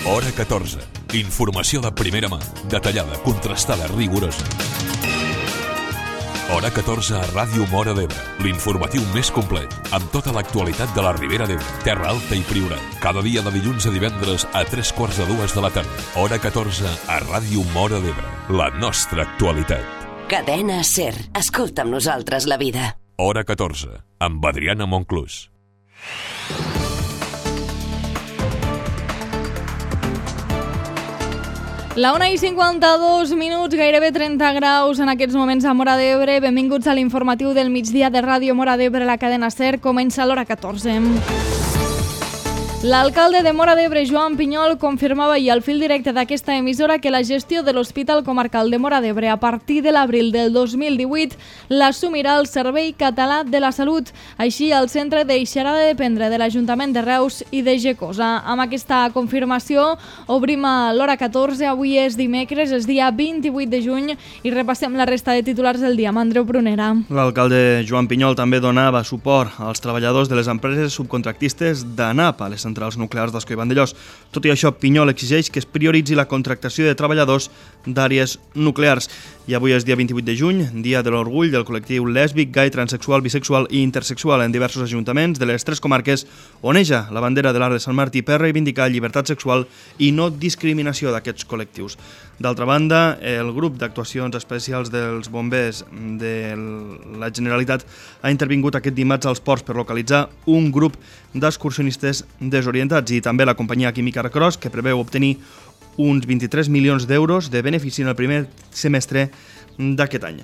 Hora 14. Informació de primera mà, detallada, contrastada, rigorosa. Hora 14 a Ràdio Móra d'Ebre, l'informatiu més complet, amb tota l'actualitat de la Ribera d'Ebre, Terra Alta i Priorat. Cada dia de dilluns a divendres a 3:45 de la tarda. Hora 14 a Ràdio Móra d'Ebre, la nostra actualitat. Cadena SER. Escolta amb nosaltres la vida. Hora 14, amb Adriana Monclús. La 1:52, gairebé 30 graus en aquests moments a Móra d'Ebre. Benvinguts a l'informatiu del migdia de Ràdio Móra d'Ebre, la cadena SER. Comença l'hora 14. L'alcalde de Móra d'Ebre, Joan Pinyol, confirmava ahir al fil directe d'aquesta emissora que la gestió de l'Hospital Comarcal de Móra d'Ebre a partir de l'abril del 2018 l'assumirà el Servei Català de la Salut. Així, el centre deixarà de dependre de l'Ajuntament de Reus i de Gecosa. Amb aquesta confirmació, obrim a l'hora 14. Avui és dimecres, és dia 28 de juny, i repassem la resta de titulars del dia amb Andreu Prunera. L'alcalde Joan Pinyol també donava suport als treballadors de les empreses subcontractistes d'ANAP a les centrals nuclears d'Ascó i Vandellòs. Tot i això, Pinyol exigeix que es prioritzi la contractació de treballadors d'àrees nuclears. I avui és dia 28 de juny, dia de l'orgull del col·lectiu lèsbic, gai, transexual, bisexual i intersexual en diversos ajuntaments de les 3 comarques, oneja la bandera de l'Arc de Sant Martí per reivindicar llibertat sexual i no discriminació d'aquests col·lectius. D'altra banda, el grup d'actuacions especials dels bombers de la Generalitat ha intervingut aquest dimarts als ports per localitzar un grup d'excursionistes desorientats, i també la companyia química Arcros, que preveu obtenir uns 23 milions d'euros de benefici en el primer semestre d'aquest any.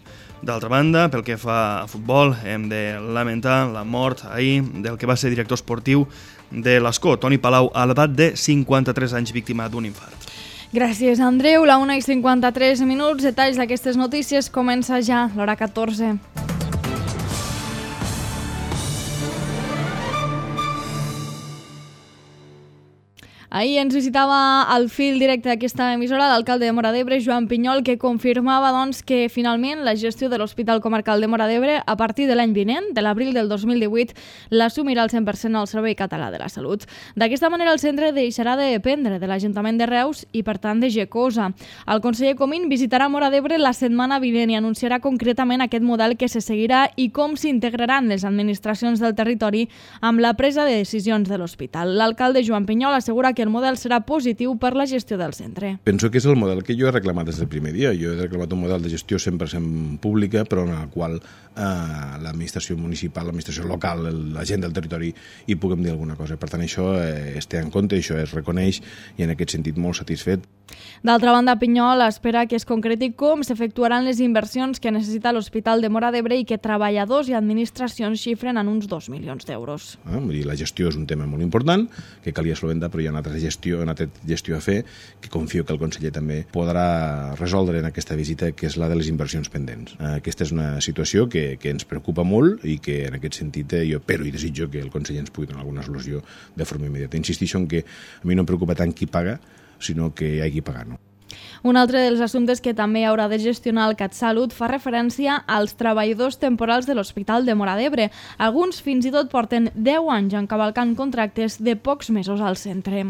D'altra banda, pel que fa a futbol, hem de lamentar la mort ahir del que va ser director esportiu de l'Ascó, Toni Palau, a l'edat de 53 anys, víctima d'un infart. Gràcies, Andreu. La 1:53, detalls d'aquestes notícies, comença ja l'hora 14. Ahir ens visitava al fil directe d'aquesta emissora l'alcalde de Móra d'Ebre, Joan Pinyol, que confirmava que finalment la gestió de l'Hospital Comarcal de Móra d'Ebre a partir de l'any vinent, de l'abril del 2018, l'assumirà al 100% el Servei Català de la Salut. D'aquesta manera, el centre deixarà de dependre de l'Ajuntament de Reus i, per tant, de Gecosa. El conseller Comín visitarà Móra d'Ebre la setmana vinent i anunciarà concretament aquest model que se seguirà i com s'integraran les administracions del territori amb la presa de decisions de l'hospital. L'alcalde Joan Pinyol assegura que el model serà positiu per la gestió del centre. Penso que és el model que jo he reclamat des del primer dia. Jo he reclamat un model de gestió 100% pública, però en el qual l'administració municipal, l'administració local, la gent del territori hi puguem dir alguna cosa. Per tant, això es té en compte, això es reconeix, i en aquest sentit molt satisfet. D'altra banda, Pinyol espera que es concreti com s'efectuaran les inversions que necessita l'Hospital de Móra d'Ebre i que treballadors i administracions xifren en uns 2 milions d'euros. La gestió és un tema molt important, que calia solventar, però hi ha una altra gestió a fer, que confio que el conseller també podrà resoldre en aquesta visita, que és la de les inversions pendents. Aquesta és una situació que ens preocupa molt i que en aquest sentit jo espero i desitjo que el conseller ens pugui donar alguna solució de forma immediata. Insistixo en que a mi no em preocupa tant qui paga, sinó que hi hagi pagar, no? Un altre dels assumptes que també haurà de gestionar el CatSalut fa referència als treballadors temporals de l'Hospital de Móra d'Ebre. Alguns fins i tot porten 10 anys encavalcant contractes de pocs mesos al centre.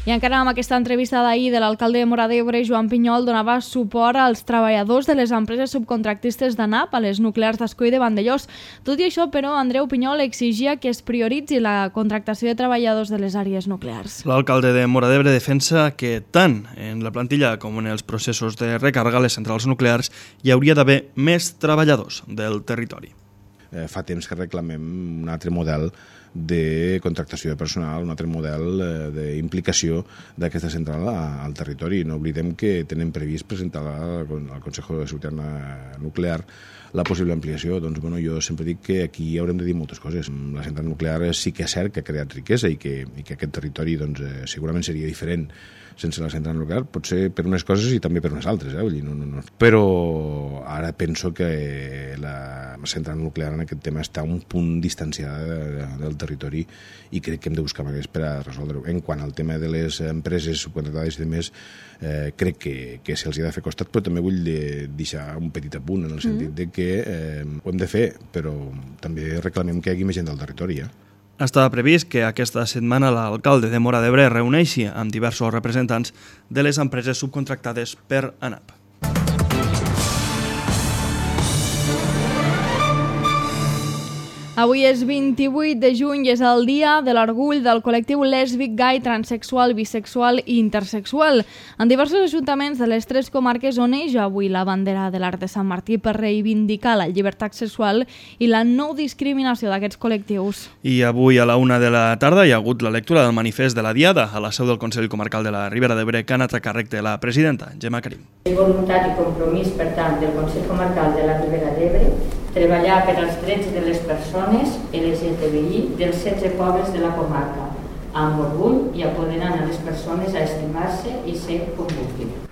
I encara amb aquesta entrevista d'ahir de l'alcalde de Móra d'Ebre, Joan Pinyol donava suport als treballadors de les empreses subcontractistes d'ANAP a les nuclears d'Ascó i de Vandellòs. Tot i això, però, Andreu Pinyol exigia que es prioritzi la contractació de treballadors de les àrees nuclears. L'alcalde de Móra d'Ebre defensa que tant en la plantilla com en els processos de recàrrega a les centrals nuclears hi hauria d'haver més treballadors del territori. Fa temps que reclamem un altre model de contractació de personal, un altre model d'implicació d'aquesta central al territori. No oblidem que tenen previst presentar al Consejo de Seguridad Nuclear la possible ampliació. Doncs, jo sempre dic que aquí haurem de dir moltes coses. La central nuclear sí que és cert que ha creat riquesa i que aquest territori segurament seria diferent sense la central nuclear, potser per unes coses i també per unes altres, Però ara penso que la central nuclear en aquest tema està un punt distanciada del territori i crec que hem de buscar maneres per a resoldre-ho. En quant al tema de les empreses subcontractades i demés, crec que se'ls ha de fer costat, però també vull deixar un petit apunt en el sentit de que ho hem de fer, però també reclamem que hi hagi més gent del territori, Estava previst que aquesta setmana l'alcalde de Móra d'Ebre reuneixi amb diversos representants de les empreses subcontractades per ANAP. Avui és 28 de juny i és el dia de l'orgull del col·lectiu lèsbic, gai, transexual, bisexual i intersexual. En diversos ajuntaments de les 3 comarques on neix avui la bandera de l'Arc de Sant Martí per reivindicar la llibertat sexual i la no discriminació d'aquests col·lectius. I avui a la 1 de la tarda hi ha hagut la lectura del manifest de la Diada a la seu del Consell Comarcal de la Ribera d'Ebre, que ha anat a càrrec de la presidenta, Gemma Karim. Voluntat i compromís, per tant, del Consell Comarcal de la Ribera d'Ebre treballar per als drets de les persones LGTBI dels 16 pobles de la comarca, amb orgull i apoderant a les persones a estimar-se i ser com vulguin.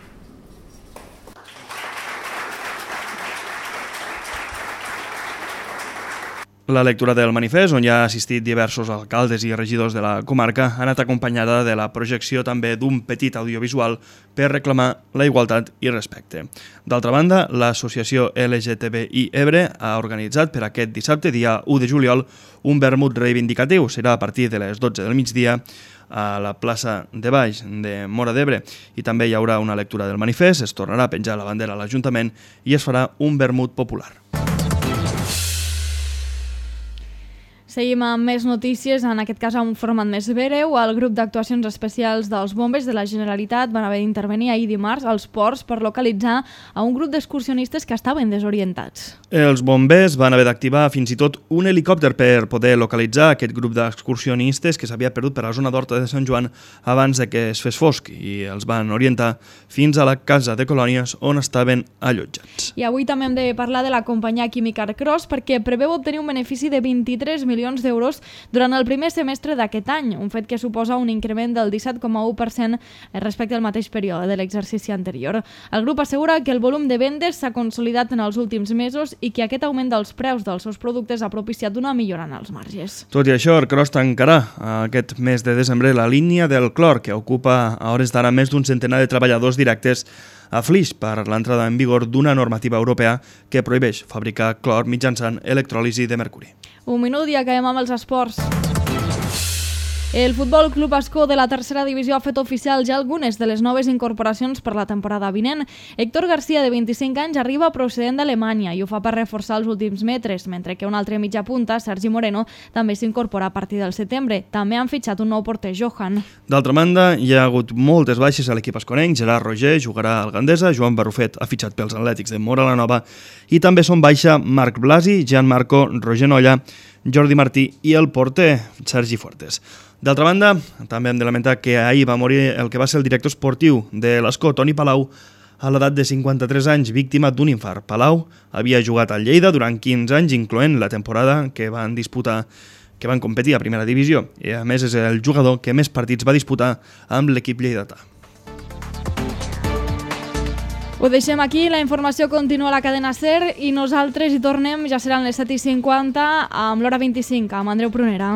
La lectura del manifest, on hi ha assistit diversos alcaldes i regidors de la comarca, ha anat acompanyada de la projecció també d'un petit audiovisual per reclamar la igualtat i respecte. D'altra banda, l'associació LGTBI Ebre ha organitzat per aquest dissabte, dia 1 de juliol, un vermut reivindicatiu. Serà a partir de les 12 del migdia a la plaça de Baix de Móra d'Ebre, i també hi haurà una lectura del manifest, es tornarà a penjar la bandera a l'Ajuntament i es farà un vermut popular. Seguim amb més notícies, en aquest cas amb un format més breu. El grup d'actuacions especials dels bombers de la Generalitat van haver d'intervenir ahir dimarts als ports per localitzar a un grup d'excursionistes que estaven desorientats. Els bombers van haver d'activar fins i tot un helicòpter per poder localitzar aquest grup d'excursionistes que s'havia perdut per la zona d'Horta de Sant Joan abans de que es fes fosc, i els van orientar fins a la casa de colònies on estaven allotjats. I avui també hem de parlar de la companyia química Arcros, perquè preveu obtenir un benefici de 23 milions d'euros durant el primer semestre d'aquest any, un fet que suposa un increment del 17,1% respecte al mateix període de l'exercici anterior. El grup assegura que el volum de vendes s'ha consolidat en els últims mesos i que aquest augment dels preus dels seus productes ha propiciat una millora en els marges. Tot i això, Arcros tancarà aquest mes de desembre la línia del clor, que ocupa a hores d'ara més d'un centenar de treballadors directes a Flix per l'entrada en vigor d'una normativa europea que prohibeix fabricar clor mitjançant electròlisi de mercuri. Un minut i acabem amb els esports. El Futbol Club Ascó de la tercera divisió ha fet oficial ja algunes de les noves incorporacions per la temporada vinent. Héctor García, de 25 anys, arriba procedent d'Alemanya i ho fa per reforçar els últims metres, mentre que un altre mitja punta, Sergi Moreno, també s'incorpora a partir del setembre. També han fitxat un nou porter, Johan. D'altra banda, hi ha hagut moltes baixes a l'equip asconenc. Gerard Roger jugarà al Gandesa, Joan Barrufet ha fitxat pels Atlètics de Móra la Nova i també són baixa Marc Blasi, Gianmarco, Roger Nolla, Jordi Martí i el porter Sergi Fuertes. D'altra banda, també hem de lamentar que ahir va morir el que va ser el director esportiu de l'Ascó, Toni Palau, a l'edat de 53 anys, víctima d'un infart. Palau havia jugat al Lleida durant 15 anys, incloent la temporada que van competir a primera divisió, i a més és el jugador que més partits va disputar amb l'equip lleidatà. Ho deixem aquí, la informació continua a la cadena SER i nosaltres hi tornem, ja seran les 7:50 amb l'hora 25, amb Andreu Prunera.